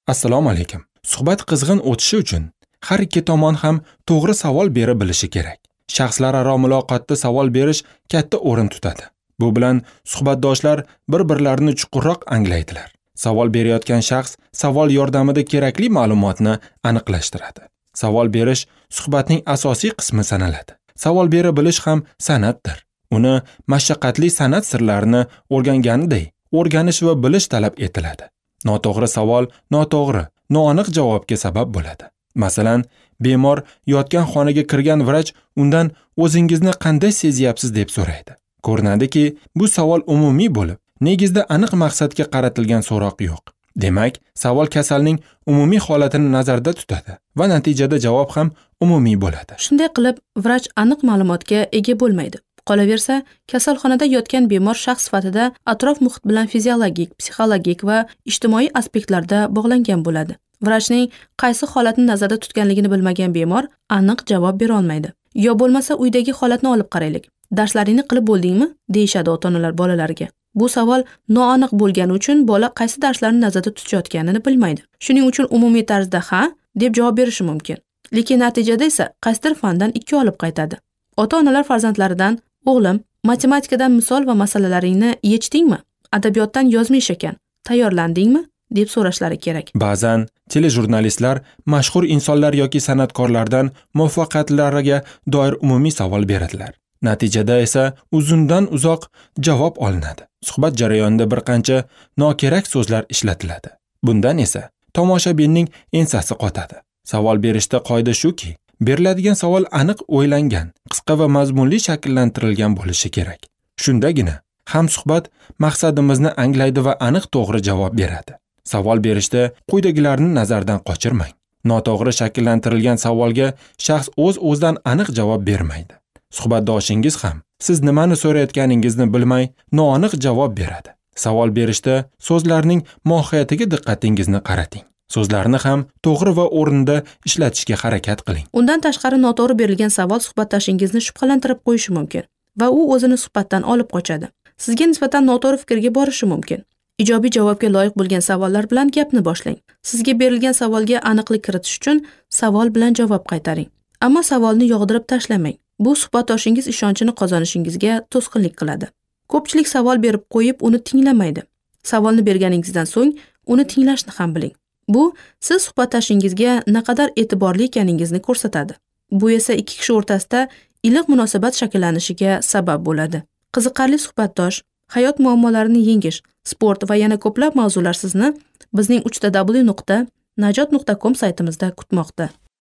Assalomu alaykum. Suhbat qizg'in o'tishi uchun har ikki tomon ham to'g'ri savol bera bilishi kerak. Shaxslararo muloqotda savol berish katta o'rin tutadi. Bu bilan suhbatdoshlar bir-birlarini chuqurroq anglaydilar. Savol berayotgan shaxs savol yordamida kerakli ma'lumotni aniqlashtiradi. Savol berish suhbatning asosiy qismi sanaladi. Savol bera bilish ham san'atdir. Uni mashaqqatli san'at sirlarini o'rganganiday o'rganish va bilish talab etiladi. Noto'g'ri savol noto'g'ri, noaniq javobga sabab bo'ladi. Masalan, bemor yotgan xonaga kirgan vrach undan o'zingizni qanday sezyapsiz deb so'raydi. Ko'rinadiki, bu savol umumiy bo'lib, negizda aniq maqsadga qaratilgan so'roq yo'q. Demak, savol kasalning umumiy holatini nazarda tutadi va natijada javob ham umumiy bo'ladi. Shunday qilib, vrach aniq ma'lumotga ega bo'lmaydi. Qolaversa, kasalxonada yotgan bemor shaxs sifatida atrof muhit bilan fiziologik, psixologik va ijtimoiy aspektlarda bog'langan bo'ladi. Vrachning qaysi holatni nazarda tutganligini bilmagan bemor aniq javob bera olmaydi. Yo bo'lmasa uydagi holatni olib qaraylik. Darslaringni qilib bo'ldingmi? Deyishadi ota-onalar bolalariga. Bu savol noaniq bo'lgani uchun bola qaysi darslarni nazarda tutayotganini bilmaydi. Shuning uchun umumiy tarzda ha deb javob berishi mumkin. Lekin natijada esa qaysidir fandan 2 olib qaytadi. Ota-onalar farzandlaridan: "O'g'lim, matematikadan misol va masalalaringni yechdingmi? Adabiyotdan yozma ish ekan, tayyorlandingmi?" deb so'rashlari kerak. Ba'zan telejurnalistlar mashhur insonlar yoki san'atkorlardan muvaffaqiyatlariga doir umumiy savol beradilar. Natijada esa uzundan uzoq javob olinadi. Suhbat jarayonida bir qancha nokerak so'zlar ishlatiladi. Bundan esa tomoshabinning ensasi qotadi. Savol berishda qoida shuki, beriladigan savol aniq o'ylangan, qisqa va mazmunli shakllantirilgan bo'lishi kerak. Shundagina ham suhbat maqsadimizni anglaydi va aniq to'g'ri javob beradi. Savol berishda quyidagilarni nazardan qochirmang. Noto'g'ri shakllantirilgan savolga shaxs o'z-o'zidan aniq javob bermaydi. Suhbatdoshingiz ham siz nimani so'rayotganingizni bilmay noaniq javob beradi. Savol berishda so'zlarning mohiyatiga diqqatingizni qarating. So'zlarni ham to'g'ri va o'rnida ishlatishga harakat qiling. Undan tashqari noto'g'ri berilgan savol suhbatdoshingizni shubhalantirib qo'yishi mumkin va u o'zini suhbatdan olib qochadi. Sizga nisbatan noto'g'ri fikrga borishi mumkin. Ijobiy javobga loyiq bo'lgan savollar bilan gapni boshlang. Sizga berilgan savolga aniqlik kiritish uchun savol bilan javob qaytaring. Ammo savolni yog'dirib tashlamang. Bu suhbatdoshingiz ishonchini qozonishingizga to'sqinlik qiladi. Ko'pchilik savol berib qo'yib, uni tinglamaydi. Savolni berganingizdan so'ng uni tinglashni ham biling. Bu siz suhbatdoshingizga naqadar e'tiborli ekaningizni ko'rsatadi. Bu esa ikki kishi o'rtasida iliq munosabat shakllanishiga sabab bo'ladi. Qiziqarli suhbatdosh, hayot muammolarini yengish, sport va yana ko'plab mavzular sizni bizning 3w.najot.com saytimizda kutmoqda.